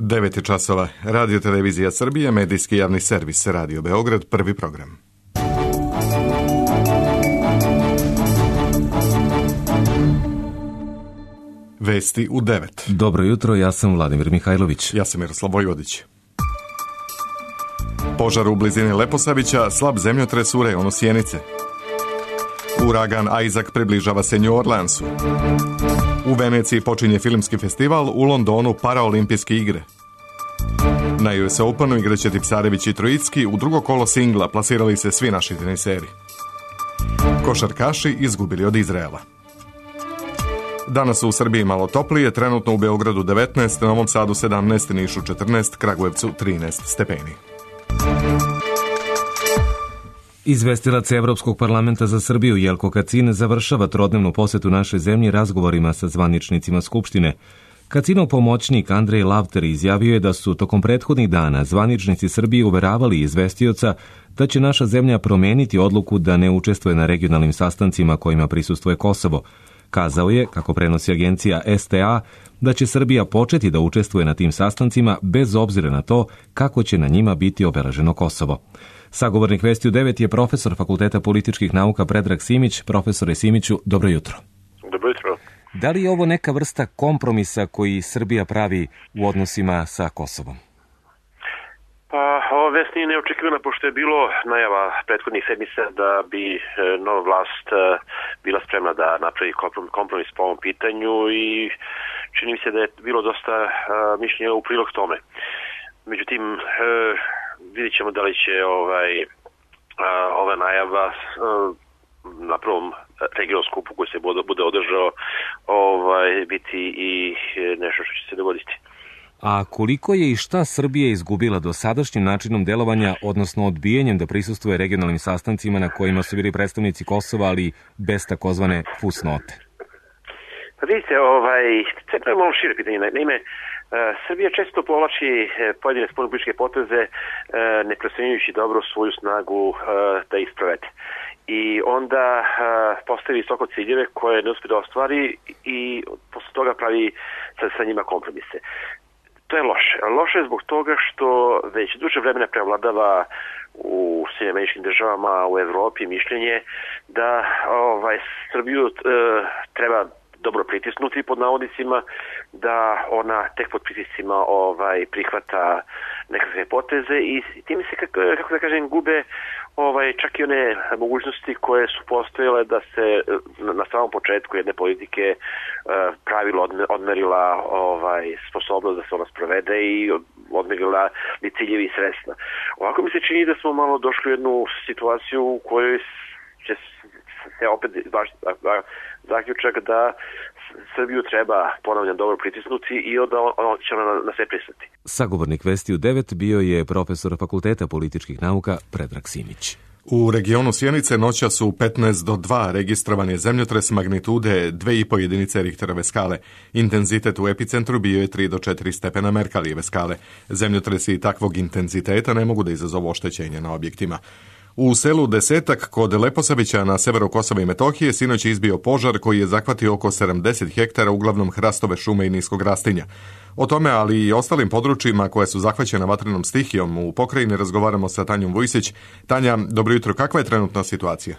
9 je časova. Radio Televizija Srbije, medijski javni servis, Radio Beograd, prvi program. Vesti u 9. Dobro jutro, ja sam Vladimir Mihajlović. Ja sam Miroslav Vojvodić. Požar u blizini Leposavića, slab zemljotres u rejonu Sjenice. Uragan Isaac približava se New Orleansu. U Veneciji počinje filmski festival, u Londonu paraolimpijske igre. Na US Openu igraće Tipsarević i Trojicki, u drugo kolo singla plasirali se svi naši teniseri. Košarkaši izgubili od Izraela. Danas u Srbiji malo toplije, trenutno u Beogradu 19, Novom Sadu 17, Nišu 14, Kragujevcu 13 stepeni. Izvestilac Evropskog parlamenta za Srbiju Jelko Kacin završava trodnevnu posetu našoj zemlji razgovorima sa zvaničnicima Skupštine. Kacinov pomoćnik Andrej Lavter izjavio je da su tokom prethodnih dana zvaničnici Srbije uveravali izvestioca da će naša zemlja promeniti odluku da ne učestvuje na regionalnim sastancima kojima prisustvuje Kosovo. Kazao je, kako prenosi agencija STA, da će Srbija početi da učestvuje na tim sastancima bez obzira na to kako će na njima biti obeleženo Kosovo. Sagovornik Vesti u 9 je profesor Fakulteta političkih nauka Predrag Simić. Profesore Simiću, dobro jutro. Dobro jutro. Da li je ovo neka vrsta kompromisa koji Srbija pravi u odnosima sa Kosovom? Pa, ova vest nije neočekivana, pošto je bilo najava prethodnih sedmica da bi nova vlast bila spremna da napravi kompromis po ovom pitanju i čini mi se da je bilo dosta mišljenja u prilog tome. Međutim, vidjet ćemo da li će ova najava na prvom regionalnom skupu koji se bude održao biti i nešto što će se dogoditi. A koliko je i šta Srbija izgubila dosadašnjim načinom delovanja, odnosno odbijanjem da prisustvuje regionalnim sastancima na kojima su bili predstavnici Kosova, ali bez takozvane fusnote? Pa vidite, to je malo šire pitanje. Naime, Srbija često povlači pojedine spoljnopolitičke poteze, ne procenjujući dobro svoju snagu da ih sprovede. I onda postavi visoko ciljeve koje ne uspije da ostvari i posle toga pravi sa njima kompromise. To je loše. Loše je zbog toga što već duže vremena prevladava u Sjedinjenim Američkim Državama, u Evropi mišljenje da Srbiju treba dobro pritisnuti pod navodnicima, da ona tek pod pritiscima prihvata nekakve poteze i time se, kako da kažem, gube čak i one mogućnosti koje su postojale da se na samom početku jedne politike pravilo odmerila sposobnost da se ona sprovede i odmerila ni ciljevi i sredstva. Ovako mi se čini da smo malo došli u jednu situaciju u kojoj će se opet zaključak da Srbiju treba ponavljam dobro pritisnuti i onda će ona na sve pristati. Sagovornik Vesti u 9 bio je profesor Fakulteta političkih nauka Predrag Simić. U regionu Sjenice noća su 15 do 2 registrovan je zemljotres magnitude 2,5 jedinice Richterove skale. Intenzitet u epicentru bio je 3 do 4 stepena Merkalijeve skale. Zemljotresi takvog intenziteta ne mogu da izazovu oštećenje na objektima. U selu Desetak kod Leposavića na severu Kosova i Metohije sinoć je izbio požar koji je zahvatio oko 70 hektara, uglavnom hrastove šume i niskog rastinja. O tome, ali i ostalim područjima koje su zahvaćena vatrenom stihijom u pokrajini razgovaramo sa Tanjom Vujsić. Tanja, dobro jutro, kakva je trenutna situacija?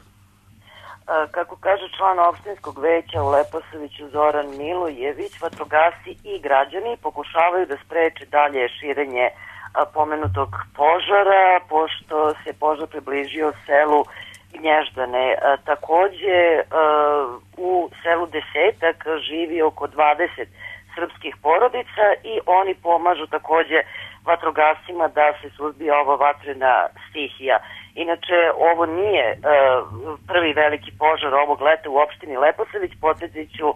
Kako kaže član opštinskog veća u Leposaviću Zoran Milojević, vatrogasci i građani pokušavaju da spreče dalje širenje pomenutog požara, pošto se požar približio selu Gnježdane. Takođe, u selu Desetak živi oko 20 srpskih porodica i oni pomažu takođe vatrogascima da se suzbije ova vatrena stihija. Inače, ovo nije prvi veliki požar ovog leta u opštini Leposavić. Podsjetit ću,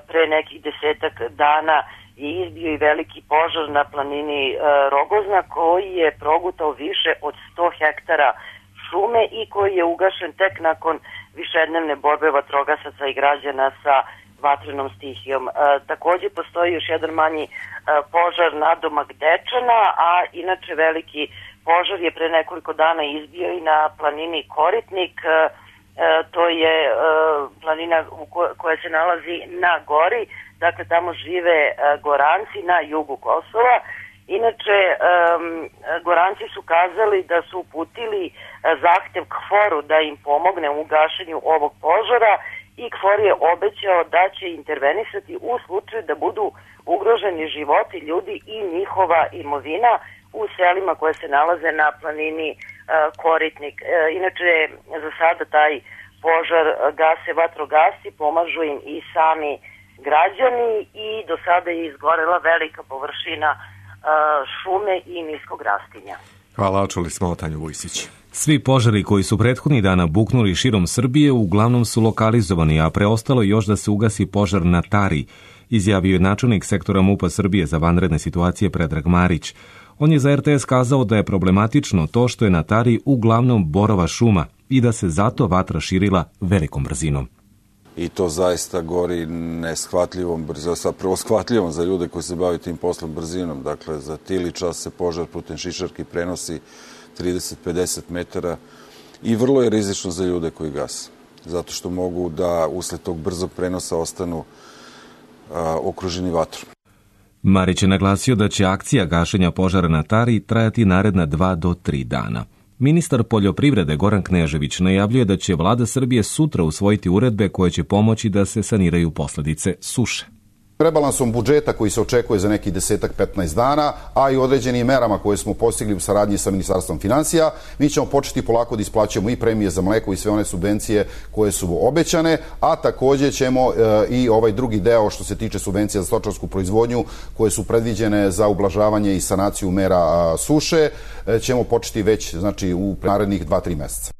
pre nekih 10 dana je izbio i veliki požar na planini Rogozna koji je progutao više od 100 hektara šume i koji je ugašen tek nakon višednevne borbe vatrogasaca i građana sa vatrenom stihijom. Takođe postoji još jedan manji požar nadomak Dečana, a inače veliki požar je pre nekoliko dana izbio i na planini Koritnik. To je planina koja se nalazi na gori, dakle tamo žive Goranci na jugu Kosova Inače, Goranci su kazali da su uputili zahtev KFOR-u da im pomogne u gašenju ovog požara i KFOR je obećao da će intervenisati u slučaju da budu ugroženi životi ljudi i njihova imovina u selima koje se nalaze na planini Koritnik. Inače, za sada taj požar gase vatrogasci, pomažu im i sami građani i do sada je izgorela velika površina šume i niskog rastinja. Hvala, čuli smo Tanju Vujsić. Svi požari koji su prethodnih dana buknuli širom Srbije uglavnom su lokalizovani, a preostalo još da se ugasi požar na Tari, izjavio je načelnik sektora MUP-a Srbije za vanredne situacije Predrag Marić. On je za RTS kazao da je problematično to što je na Tari uglavnom borova šuma i da se zato vatra širila velikom brzinom. I to zaista gori neshvatljivom brzinom, zapravo shvatljivom za ljude koji se bave tim poslom brzinom. Dakle, za tili čas se požar putem šišarki prenosi 30-50 metara i vrlo je rizično za ljude koji gase. Zato što mogu da usled tog brzog prenosa ostanu okruženi vatrom. Marić je naglasio da će akcija gašenja požara na Tari trajati naredna 2 do 3 dana. Ministar poljoprivrede Goran Knežević najavljuje da će vlada Srbije sutra usvojiti uredbe koje će pomoći da se saniraju posljedice suše. Rebalansom budžeta koji se očekuje za neki 10-15 dana, a i određenim merama koje smo postigli u saradnji sa Ministarstvom finansija, mi ćemo početi polako da isplaćujemo i premije za mleko i sve one subvencije koje su obećane, a također ćemo i ovaj drugi deo što se tiče subvencija za stočarsku proizvodnju koje su predviđene za ublažavanje i sanaciju mera suše, ćemo početi već znači u narednih 2-3 mjeseca.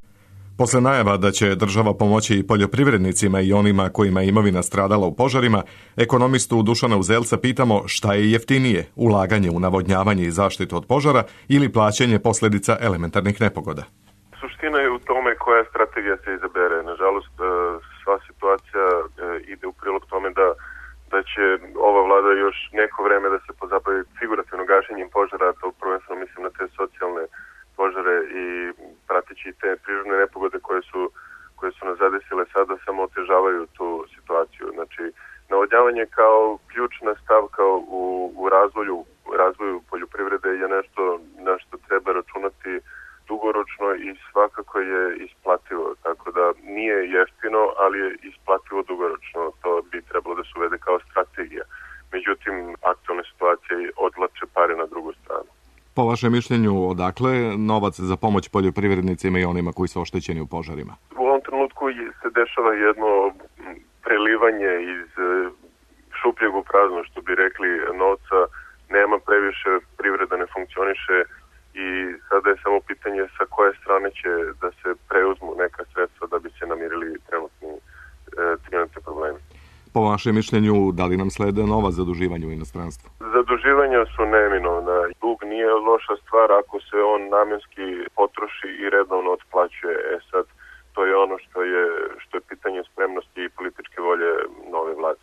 Posle najava da će država pomoći i poljoprivrednicima i onima kojima je imovina stradala u požarima, ekonomistu Dušana Uzelca pitamo šta je jeftinije, ulaganje u navodnjavanje i zaštitu od požara ili plaćanje posljedica elementarnih nepogoda. Suština je u tome koja strategija se izabere. Nažalost, sva situacija ide u prilog tome da će ova vlada još neko vreme da se pozabavi figurativno gašenjem požara, to prvenstveno mislim na te socijalne požare i prateći te prirodne nepogode koje su nas zadesile sada samo otežavaju tu situaciju. Znači, navodnjavanje kao ključna stavka u razvoju poljoprivrede je nešto na što treba računati dugoročno i svakako je isplativo. Tako da nije jeftino, ali je isplativo dugoročno. To bi trebalo da se uvede kao strategija. Međutim, aktualna situacija odvlače pare na drugu stranu. Po vašem mišljenju, odakle novac za pomoć poljoprivrednicima i onima koji su oštećeni u požarima? U ovom trenutku se dešava jedno prelivanje iz šupljeg u prazno, što bi rekli, novca nema previše, privreda ne funkcioniše i sada je samo pitanje sa koje strane će da se preuzmu neka sredstva da bi se namirili trenutni problemi. Po vašem mišljenju, da li nam slede nova zaduživanja u inostranstvu? Zaduživanja su neminovna. Dug nije loša stvar ako se on namjenski potroši i redovno otplaćuje. Sad, to je ono što je pitanje spremnosti i političke volje nove vlade.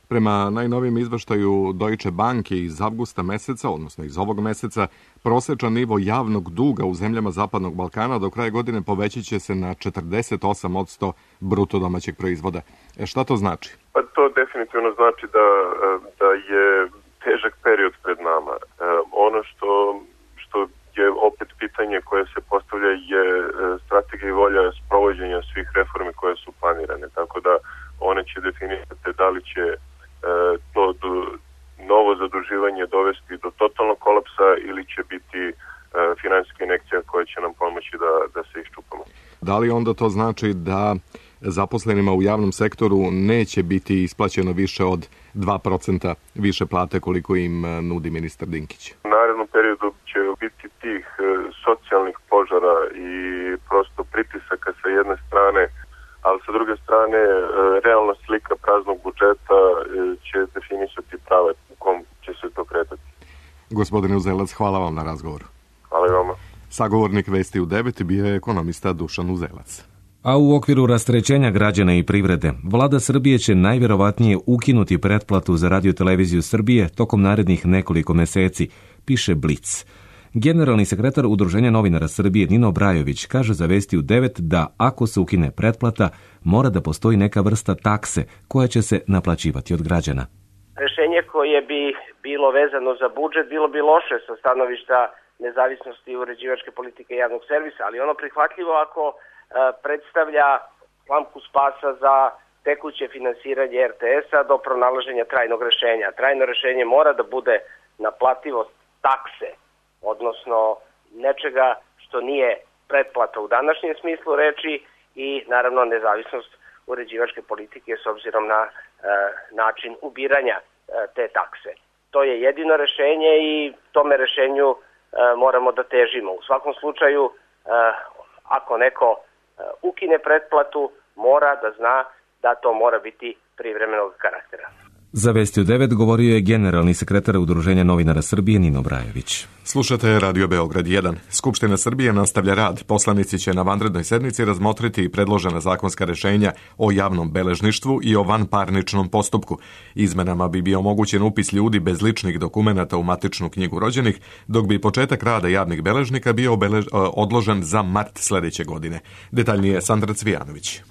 Prema najnovijem izveštaju Deutsche Banke iz avgusta meseca, odnosno iz ovog meseca, prosječan nivo javnog duga u zemljama Zapadnog Balkana do kraja godine povećit će se na 48% bruto domaćeg proizvoda. Šta to znači? Pa to definitivno znači da je težak period pred nama. Ono što je opet pitanje koje se postavlja je strategija i volja sprovođenja svih reformi koje su planirane. Tako da one će definirati da li će to novo zaduživanje dovesti do totalnog kolapsa ili će biti finansijska injekcija koja će nam pomoći da se iščupamo. Da li onda to znači da zaposlenima u javnom sektoru neće biti isplaćeno više od 2% više plate koliko im nudi ministar Dinkić? U narednom periodu će biti tih socijalnih požara i prosto pritisaka sa jedne strane, ali sa druge strane realna slika praznog budžeta će definisati prave u kom će se to kretati. Gospodine Uzelac, hvala vam na razgovoru. Hvala i vama. Sagovornik Vesti u 9 bio je ekonomista Dušan Uzelac. A u okviru rasterećenja građana i privrede, vlada Srbije će najvjerovatnije ukinuti pretplatu za Radio-televiziju Srbije tokom narednih nekoliko meseci, piše Blic. Generalni sekretar Udruženja novinara Srbije Nino Brajović kaže za Vesti u 9 da ako se ukine pretplata, mora da postoji neka vrsta takse koja će se naplaćivati od građana. rešenje koje bi bilo vezano za budžet bilo bi loše sa stanovišta nezavisnosti uređivačke politike javnog servisa, ali ono prihvatljivo ako predstavlja lampu spasa za tekuće finansiranje RTS-a do pronalaženja trajnog rešenja. Trajno rešenje mora da bude naplativost takse, odnosno nečega što nije pretplata u današnjem smislu reči i naravno nezavisnost uređivačke politike s obzirom na način ubiranja te takse. To je jedino rešenje i tome rešenju moramo da težimo. U svakom slučaju, ako neko ukine pretplatu, mora da zna da to mora biti privremenog karaktera. Za Vesti u 9 govorio je generalni sekretar Udruženja novinara Srbije Nino Brajević. Slušate Radio Beograd 1. Skupština Srbije nastavlja rad. Poslanici će na vanrednoj sednici razmotriti predložena zakonska rešenja o javnom beležništvu i o vanparničnom postupku. Izmenama bi bio omogućen upis ljudi bez ličnih dokumenata u matičnu knjigu rođenih, dok bi početak rada javnih beležnika bio odložen za mart sledeće godine. Detaljnije Sandra Cvijanović.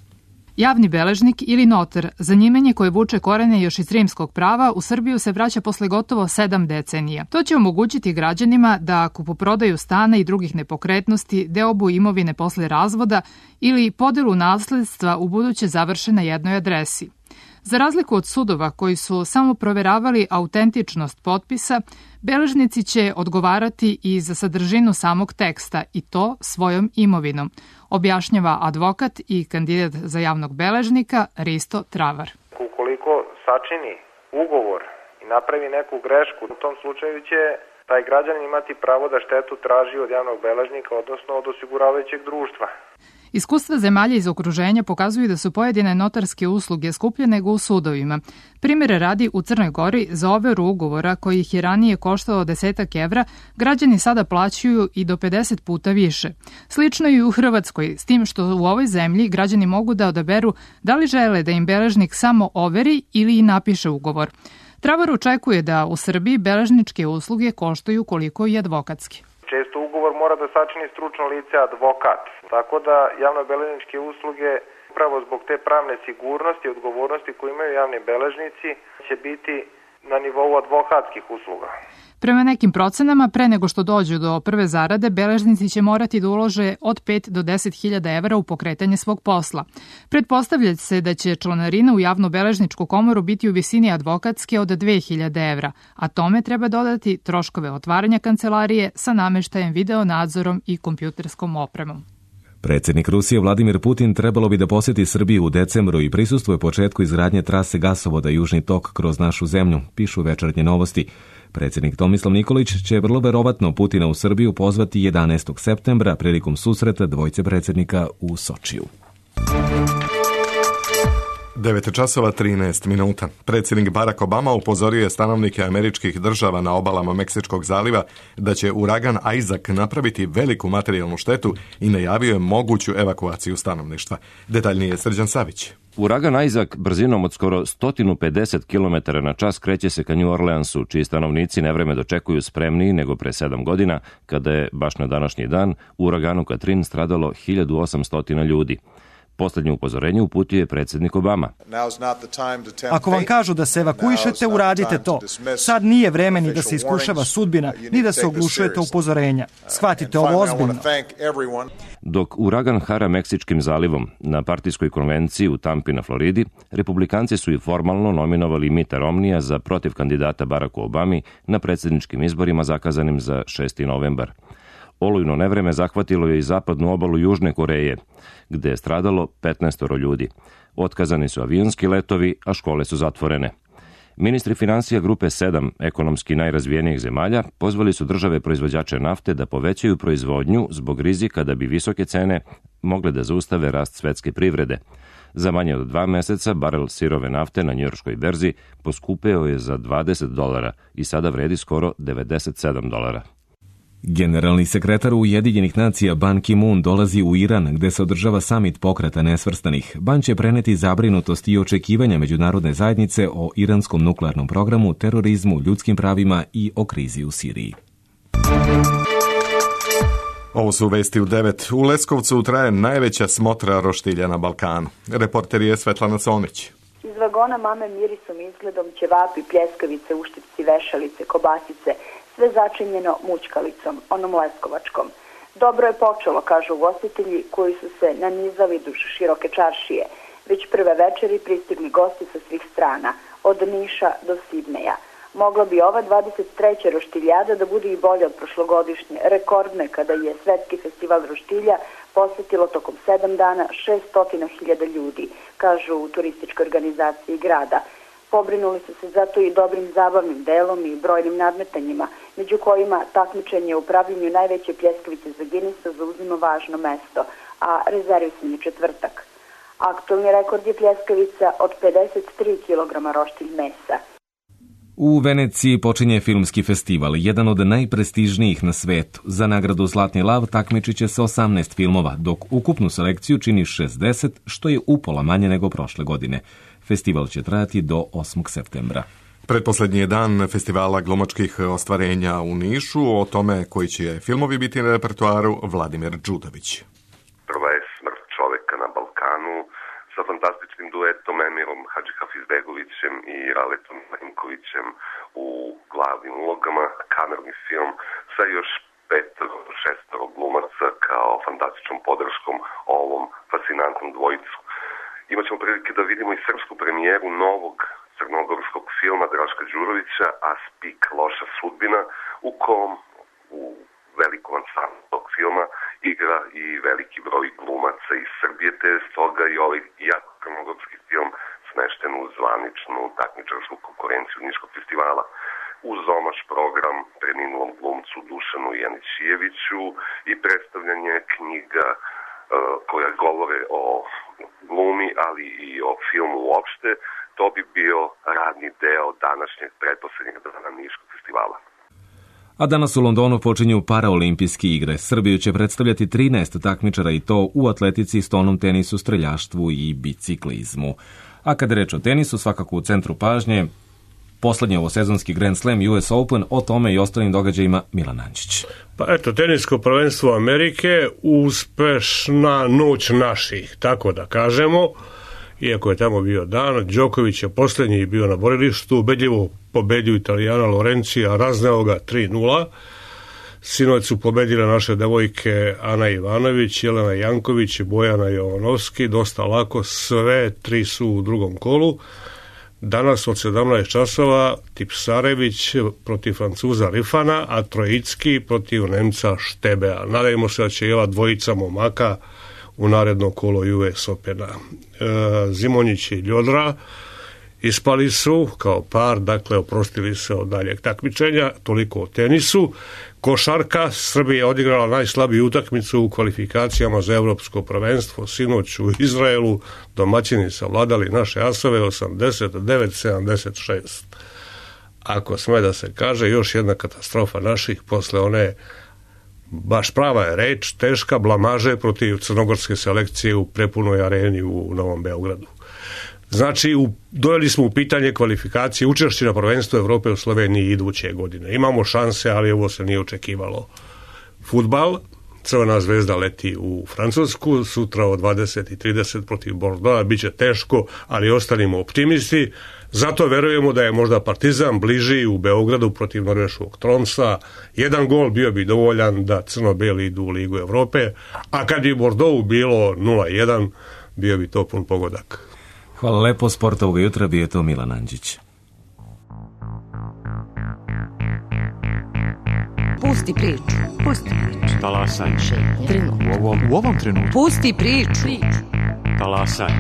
Javni beležnik ili notar, zanimanje koje vuče korene još iz rimskog prava, u Srbiju se vraća posle gotovo 7 decenija. To će omogućiti građanima da kupoprodaju stana i drugih nepokretnosti, deobu imovine posle razvoda ili podelu nasledstva u buduće završe na jednoj adresi. Za razliku od sudova koji su samo proveravali autentičnost potpisa, beležnici će odgovarati i za sadržinu samog teksta i to svojom imovinom, objašnjava advokat i kandidat za javnog beležnika Risto Travar. Ukoliko sačini ugovor i napravi neku grešku, u tom slučaju će taj građanin imati pravo da štetu traži od javnog beležnika, odnosno od osiguravajućeg društva. Iskustva zemalja iz okruženja pokazuju da su pojedine notarske usluge skuplje nego u sudovima. Primjere radi, u Crnoj Gori za overu ugovora koji ih je ranije koštao 10 evra, građani sada plaćaju i do 50 puta više. Slično i u Hrvatskoj, s tim što u ovoj zemlji građani mogu da odaberu da li žele da im beležnik samo overi ili i napiše ugovor. Travar očekuje da u Srbiji beležničke usluge koštaju koliko i advokatski. Često ugovor mora da sačini stručno lice advokat, tako da javno-beležničke usluge upravo zbog te pravne sigurnosti i odgovornosti koje imaju javni beležnici će biti na nivou advokatskih usluga. Prema nekim procenama, pre nego što dođu do prve zarade, beležnici će morati da ulože od 5 do 10.000 evra u pokretanje svog posla. Pretpostavlja se da će članarina u javno-beležničku komoru biti u visini advokatske od 2.000 evra, a tome treba dodati troškove otvaranja kancelarije sa nameštajem, video nadzorom i kompjuterskom opremom. Predsjednik Rusije Vladimir Putin trebalo bi da posjeti Srbiju u decembru i prisustvuje početku izgradnje trase gasovoda Južni tok kroz našu zemlju, pišu Večernje novosti. Predsjednik Tomislav Nikolić će vrlo verovatno Putina u Srbiju pozvati 11. septembra prilikom susreta dvojce predsjednika u Sočiju. 9:13. Predsjednik Barack Obama upozorio je stanovnike američkih država na obalama Meksičkog zaliva da će uragan Isaac napraviti veliku materijalnu štetu i najavio je moguću evakuaciju stanovništva. Detaljnije Srđan Savić. Uragan Isaac brzinom od skoro 150 km na čas kreće se ka New Orleansu, čiji stanovnici nevreme dočekuju spremniji nego pre 7 godina, kada je, baš na današnji dan, u uraganu Katrin stradalo 1800 ljudi. Poslednje upozorenje uputio je predsjednik Obama. Ako vam kažu da se evakuišete, uradite to. Sad nije vreme ni da se iskušava sudbina, ni da se oglušujete upozorenja. Shvatite ovo ozbiljno. Dok uragan hara Meksičkim zalivom, na partijskoj konvenciji u Tampi na Floridi, republikanci su i formalno nominovali Mitta Romneya za protiv kandidata Baracku Obami na predsjedničkim izborima zakazanim za 6. novembar. Olujno nevreme zahvatilo je i zapadnu obalu Južne Koreje, gde je stradalo 15 ljudi. Otkazani su avionski letovi, a škole su zatvorene. Ministri finansija grupe 7 ekonomski najrazvijenijih zemalja pozvali su države proizvođače nafte da povećaju proizvodnju zbog rizika da bi visoke cene mogle da zaustave rast svetske privrede. Za manje od 2 meseca barel sirove nafte na njujorškoj berzi poskupeo je za $20 i sada vredi skoro $97. Generalni sekretar Ujedinjenih nacija Ban Ki-moon dolazi u Iran, gde se održava samit pokreta nesvrstanih. Ban će preneti zabrinutost i očekivanja međunarodne zajednice o iranskom nuklearnom programu, terorizmu, ljudskim pravima i o krizi u Siriji. Ovo su vesti u 9. U Leskovcu traje najveća smotra roštilja na Balkanu. Reporter je Svetlana Solnić. Iz žargona mame mirisom, izgledom, ćevapi, pljeskavice, uštipci, vešalice, kobasice, sve začinjeno mućkalicom, onom leskovačkom. Dobro je počelo, kažu ugostitelji koji su se nanizali duž široke čaršije. Već prve večeri pristigli gosti sa svih strana, od Niša do Sidneja. Mogla bi ova 23. roštiljada da bude i bolja od prošlogodišnje, rekordne kada je Svetski festival roštilja posetilo tokom 7 dana 600.000 ljudi, kažu u turističkoj organizaciji grada. Pobrinuli su se zato i dobrim zabavnim delom i brojnim nadmetanjima, među kojima takmičenje u pravljenju najveće pljeskavice za Guinnessa zauzima važno mesto, a rezervisan je četvrtak. Aktualni rekord je pljeskavica od 53 kg roštilj mesa. U Veneciji počinje filmski festival, jedan od najprestižnijih na svetu. Za nagradu Zlatni lav takmičit će se 18 filmova, dok ukupnu selekciju čini 60, što je upola manje nego prošle godine. Festival će trajati do 8. septembra. Pretposlednji je dan festivala glumačkih ostvarenja u Nišu. O tome koji će filmovi biti na repertoaru Vladimir Đudović. Prva je Smrt čoveka na Balkanu sa fantastičnim duetom Emirom Hadžihafizbegovićem i Raletom Marinkovićem u glavnim ulogama, kamerni film sa još 5-6 glumaca kao fantastičnom podrškom ovom fascinantnom dvojicu. Imaćemo prilike da vidimo i srpsku premijeru novog crnogorskog filma Draška Đurovića, A spik loša sudbina, u kom u velikom ansamblu tog filma igra i veliki broj glumaca iz Srbije, te stoga i ovaj jako crnogorski film smešten u zvaničnu takmičarsku konkurenciju Niškog festivala. Uz omaš program preminulom glumcu Dušanu Janićijeviću i predstavljanje knjiga koja govore o glumi, ali i o filmu uopšte, to bi bio radni deo današnjeg pretposlednjeg dana Niškog festivala. A danas u Londonu počinju paraolimpijske igre. Srbiju će predstavljati 13 takmičara i to u atletici, stonom tenisu, streljaštvu i biciklizmu. A kada reč o tenisu, svakako u centru pažnje poslednji ovosezonski Grand Slam US Open, o tome i ostalim događajima Milan Ančić. Pa eto, tenisko prvenstvo Amerike, uspešna noć naših, tako da kažemo. Iako je tamo bio dan, Đoković je poslednji bio na borilištu, ubedljivo pobedio Italijana Lorencija, razneo ga 3-0. Sinoć su pobedile naše devojke Ana Ivanović, Jelena Janković i Bojana Jovanovski, dosta lako, sve tri su u drugom kolu. Danas od 17 časova Tipsarević protiv Francuza Rifana, a Trojicki protiv Nemca Štebea. Nadajmo se da će i ova dvojica momaka u naredno kolo US Opena. Zimonjić i Ljodra ispali su kao par, dakle oprostili se od daljeg takmičenja, toliko o tenisu. Košarka, Srbija je odigrala najslabiju utakmicu u kvalifikacijama za evropsko prvenstvo, sinoć u Izraelu, domaćini savladali naše asove 89-76. Ako sme da se kaže, još jedna katastrofa naših posle one, baš prava je reč, teška blamaže protiv crnogorske selekcije u prepunoj areni u Novom Beogradu. Znači, doveli smo u pitanje kvalifikacije učešće na prvenstvu Evrope u Sloveniji iduće godine. Imamo šanse, ali ovo se nije očekivalo. Fudbal, Crvena zvezda leti u Francusku, sutra od 20:30 protiv Bordeauxa, bit će teško, ali ostanimo optimisti. Zato verujemo da je možda Partizan bliži u Beogradu protiv norveškog Tromsa. Jedan gol bio bi dovoljan da crno-beli idu u Ligu Evrope, a kad bi Bordeaux bilo 0-1, bio bi to pun pogodak. Hvala lepo, sport ovoga jutra bio je to Milan Anđić. Pusti priču. Pusti priču. Talasaj. U ovom trenutku. Pusti priču. Talasaj.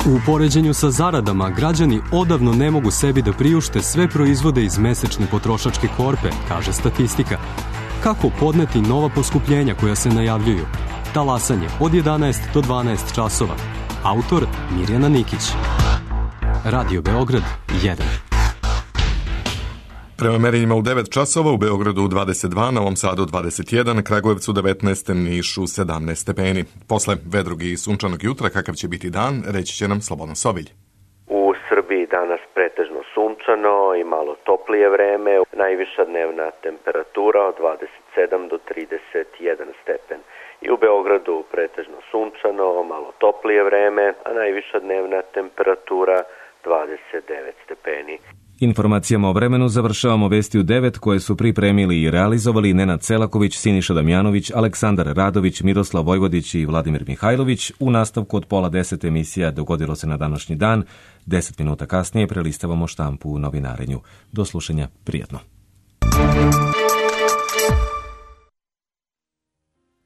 U poređenju sa zaradama, građani odavno ne mogu sebi da priušte sve proizvode iz mesečne potrošačke korpe, kaže statistika. Kako podneti nova poskupljenja koja se najavljuju? Talasanje od 11 do 12 časova. Autor Mirjana Nikić. Radio Beograd 1. Prema merenjima u 9 časova, u Beogradu 22, Novom Sadu 21, Kragujevcu 19, Nišu 17 stepeni. Posle vedrog i sunčanog jutra, kakav će biti dan, reći će nam Slobodan Sovilj. U Srbiji danas pretežno sunčano i malo toplije vreme, najviša dnevna temperatura od 27 do 31 stepen. I u Beogradu pretežno sunčano, malo toplije vreme, a najviša dnevna temperatura 29 stepeni. Informacijama o vremenu završavamo vesti u 9 koje su pripremili i realizovali Nenad Selaković, Siniša Damjanović, Aleksandar Radović, Miroslav Vojvodić i Vladimir Mihajlović. U nastavku od 9:30 emisija Dogodilo se na današnji dan. 10 minuta kasnije prelistavamo štampu u novinarenju. Do slušanja, prijatno.